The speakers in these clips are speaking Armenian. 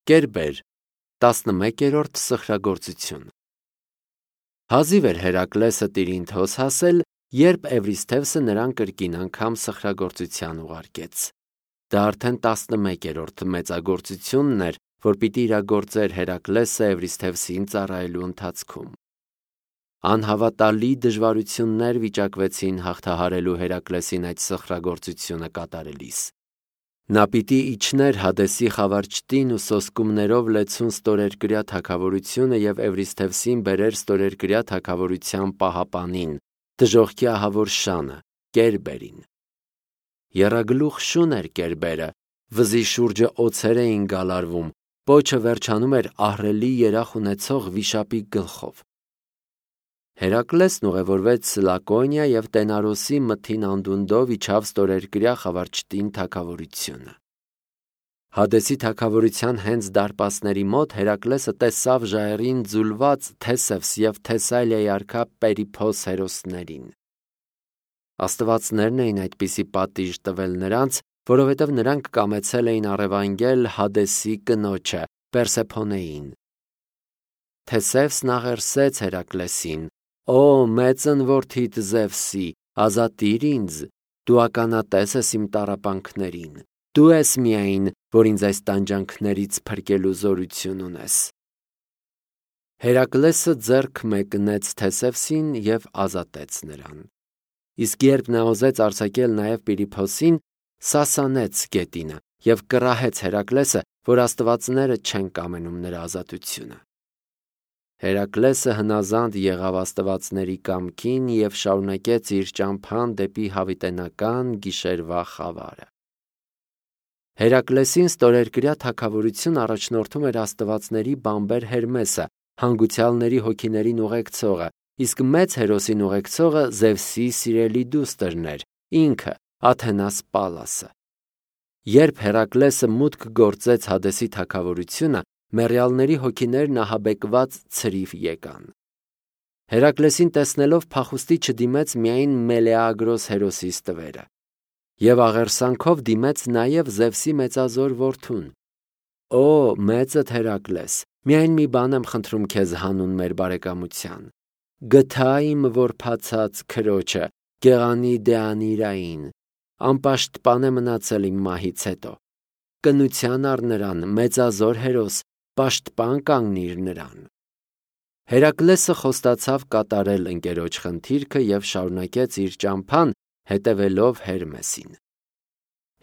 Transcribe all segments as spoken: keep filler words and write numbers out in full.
Կերբեր, տասնմեկերորդ սխրագործություն։ Հազիվ էր Հերակլեսը Տիրինթոս հասել, երբ Էվրիսթևսը նրան կրկին անգամ սխրագործության ուղարկեց։ Դա արդեն տասնմեկերորդ մեծագործությունն էր, որ պիտի իրագործեր Հերակլեսը Էվրիսթևսին ծառայելու ընթացքում։ Անհավատալի դժվարություններ վիճակվեցին հաղթահարելու Հերակլեսին այդ սխրագործությունը կատարելիս։ Նա պիտի իջներ Հադեսի խավարճտին ու սոսկումներով լեցուն ստորերկրյա թագավորությունը և Էվրիսթևսին բերեր ստորերկրյա թագավորության պահապանին, դժոխքի ահավոր շանը, Կերբերին։ Եռագլուխ շուն էր Կերբերը, վզի շուրջը օձեր էին գալարվում, պոչը վերջանում էր ահռելի երախ ունեցող վիշապի գլխով։ Հերակլեսն ուղևորվեց Լակոնիա և Տենարոսի մթին անդունդով իջավ ստորերկրյա խավարճտին թագավորությունը։ Հադեսի թագավորության հենց դարպասների մոտ Հերակլեսը տեսավ ժայռին ձուլված Թեսևս և Թեսալիայի արքա Պերիփոս հերոսներին։ Աստվածներն էին այդպիսի պատիժ տվել նրանց, որովհետև նրանք կամեցել էին առևանգել Հադեսի կնոջը Պերսեփոնեին։ Թեսևսն աղերսեց Հերակլեսին. «Օ մեծն որդիդ Զևսի, ազատիր ինձ, դու ականատես ես իմ տառապանքներին, դու ես միայն, որ ինձ այս տանջանքներից փրկելու զորություն ունես»։ Հերակլեսը ձեռք մեկնեց Թեսևսին և ազատեց նրան։ Իսկ երբ նա ուզեց արձակել նաև Պիրիփոսին, սասանեց գետինը և կռահեց Հերակլեսը, որ աստվածները չեն կամենում նրա ազատությունը։ Հերակլեսը հնազանդ եղավ աստվածների կամքին և շարունակեց իր ճամփան դեպի հավիտենական գիշերվա խավարը։ Հերակլեսին ստորերկրյա թագավորություն առաջնորդում էր աստվածների բամբեր Հերմեսը, հանգուցյալների հոգիներին ուղեկցողը, իսկ մեծ հերոսին ուղեկցողը Զևսի սիրելի դուստրն էր, ինքը Աթենաս Պալասը։ Երբ Հերակլեսը մուտք գործեց Հադեսի թագավորությունը, մեռյալների հոգիներն ահաբեկված ցրիվ եկան։ Հերակլեսին տեսնելով փախուստի չդիմեց միայն Մելեագրոս հերոսի ստվերը, և աղերսանքով դիմեց նաև Զևսի մեծազոր որդուն. «Օ մեծդ Հերակլես, միայն մի բան եմ խնդրում քեզ հանուն մեր բարեկամության. գթա իմ որբացած քրոջը, գեղանի Դեանիրային, անպաշտպան է մնացել իմ մահից հետո։ Կնության առ նրան, մեծազոր հերոս, պաշտպան կանգնիր նրան»։ Հերակլեսը խոստացավ կատարել ընկերոջ խնդիրքը և շարունակեց իր ճամփան, հետևելով Հերմեսին։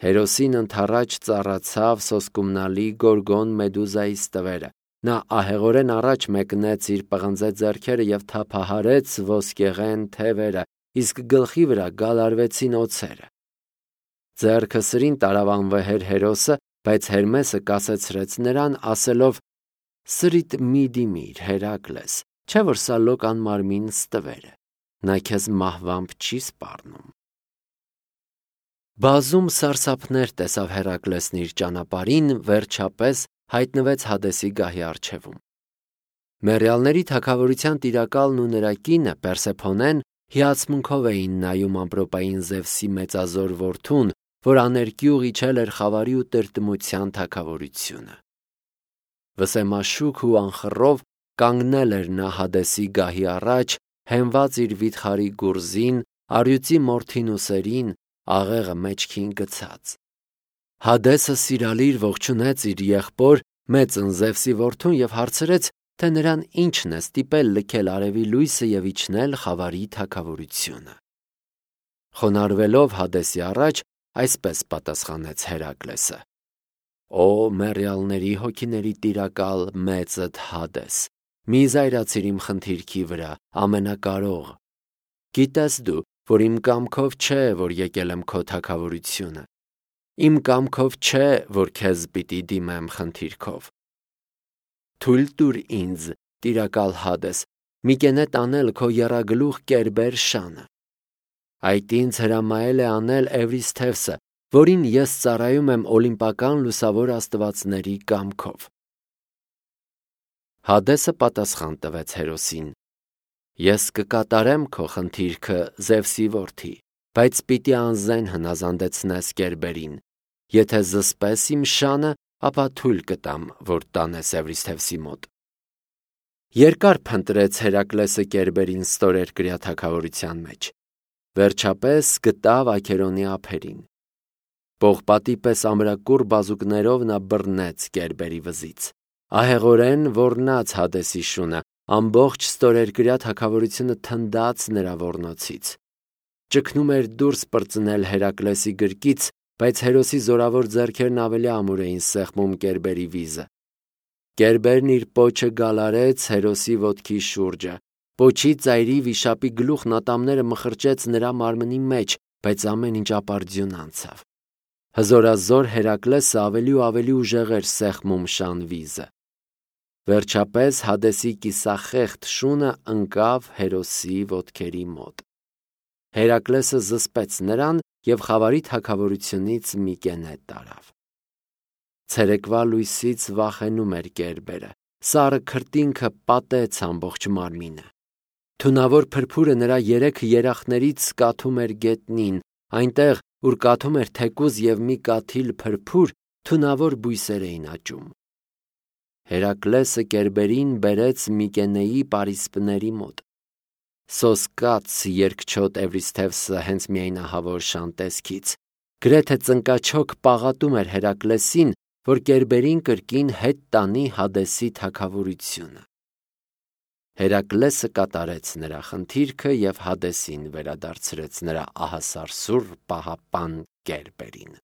Հերոսին ընդառաջ ծառացավ սոսկումնալի Գորգոն Մեդուզայի ստվերը։ Նա ահեղորեն առաջ մեկնեց իր պղնձե ձեռքերը և թափահարեց ոսկեղեն թևերը, իսկ գլխի վրա գալարվեցին օձերը։ Ձեռքը սրին տարավ անվեհեր հերոսը, բայց Հերմեսը կասեցրեց նրան, ասելով. «Սրիդ մի դիմիր, Հերակլես, չէ՞ որ սա լոկ անմարմին ստվեր է, նա քեզ մահվամբ չի սպառնում»։ Բազում սարսափներ տեսավ Հերակլեսն իր ճանապարհին, վերջապես հայտնվեց Հադեսի գահի առջևում։ Մեռյալների թագավորության տիրակալն ու նրա կինը Պերսեփոնեն հիացմունքով էին նայում ամպրոպային Զևսի մեծազոր որդուն, որ աներկյուղ իջել էր խավարի ու տրտմության թագավորությունը։ Վսեմաշուք ու անխռով կանգնել էր նա Հադեսի գահի առաջ, հենված իր վիթխարի գուրզին, առյուծի մորթին ուսերին, աղեղը մեջքին գցած։ Հադեսը սիրալիր ողջունեց իր եղբոր մեծն Զևսի որդուն և հարցրեց, թե նրան ինչն է ստիպել լքել արևի լույսը և իջնել խավարի թագավորությունը։ Խոնարհվելով Հադեսի առաջ, այսպես պատասխանեց Հերակլեսը. «Օ մեռյալների հոգիների տիրակալ մեծդ Հադես, մի զայրացիր իմ խնդիրքի վրա, ամենակարող։ Գիտես դու, որ իմ կամքով չէ, որ եկել եմ քո թագավորությունը։ Իմ կամքով չէ, որ քեզ պիտի դիմեմ խնդիրքով։ Թույլ տուր ինձ, տիրակալ Հադես, մի կենետ անել քո եռագլուխ Կերբեր շանը։ Այդ ինձ հրամայել է անել Էվրիսթևսը, որին ես ծառայում եմ օլիմպական լուսավոր աստվածների կամքով»։ Հադեսը պատասխան տվեց հերոսին. «Ես կկատարեմ քո խնդիրքը, Զևսի որդի, բայց պիտի անզեն հնազանդեցնես Կերբերին։ Եթե զսպես իմ շանը, ապա թույլ կտամ, որ տանես Էվրիսթևսի մոտ։ Երկար փնտրեց Հերակլեսը Կերբերին ստորերկրյա թագավորության մեջ։ Վերջապես գտավ Աքերոնի ափերին։ Պողպատի պես ամրակուռ բազուկներով նա բռնեց Կերբերի վզից։ Ահեղորեն ոռնաց Հադեսի շունը, ամբողջ ստորերկրյա թագավորությունը թնդաց նրա ոռնոցից։ Ճգնում էր դուրս պրծնել Հերակլեսի գրկից, բայց հերոսի զորավոր ձեռքերն ավելի ամուր էին սեղմում Կերբերի վիզը։ Կերբերն իր պոչը գալարեց հերոսի ոտքի շուրջը։ Պոչի ծայրի վիշապի գլուխն ատամները մխրճեց նրա մարմնի մեջ, բայց ամեն ինչ ապարդյուն անցավ։ Հզորազոր Հերակլեսը ավելի ու ավելի ուժեղ էր սեղմում շան վիզը։ Վերջապես Հադեսի կիսախեղդ շունը ընկավ հերոսի ոտքերի մոտ։ Հերակլեսը զսպեց նրան և խավարի թագավորությունից մի կենետ տարավ։ Ցերեկվա լույսից վախենում էր Կերբերը, սառը քրտինքը պատեց ամբողջ մարմինը։ Թունավոր փրփուրը նրա երեք երախներից կաթում էր գետնին, այնտեղ, ուր կաթում էր թեկուզ և մի կաթիլ փրփուր, թունավոր բույսեր էին աճում։ Հերակլեսը Կերբերին բերեց Միկենեի պարիսպների մոտ։ Սոսկաց երկչոտ Էվրիսթևսը հենց միայնահավոր շան տեսքից, գրեթե ծնկաչոք պաղատում էր Հերակլեսին, որ Կերբերին կրկին հետ տանի Հադեսի թագավորությունը։ Հերակլեսը կատարեց նրա խնդիրքը և Հադեսին վերադարձրեց նրա ահասարսուռ պահապան Կերբերին։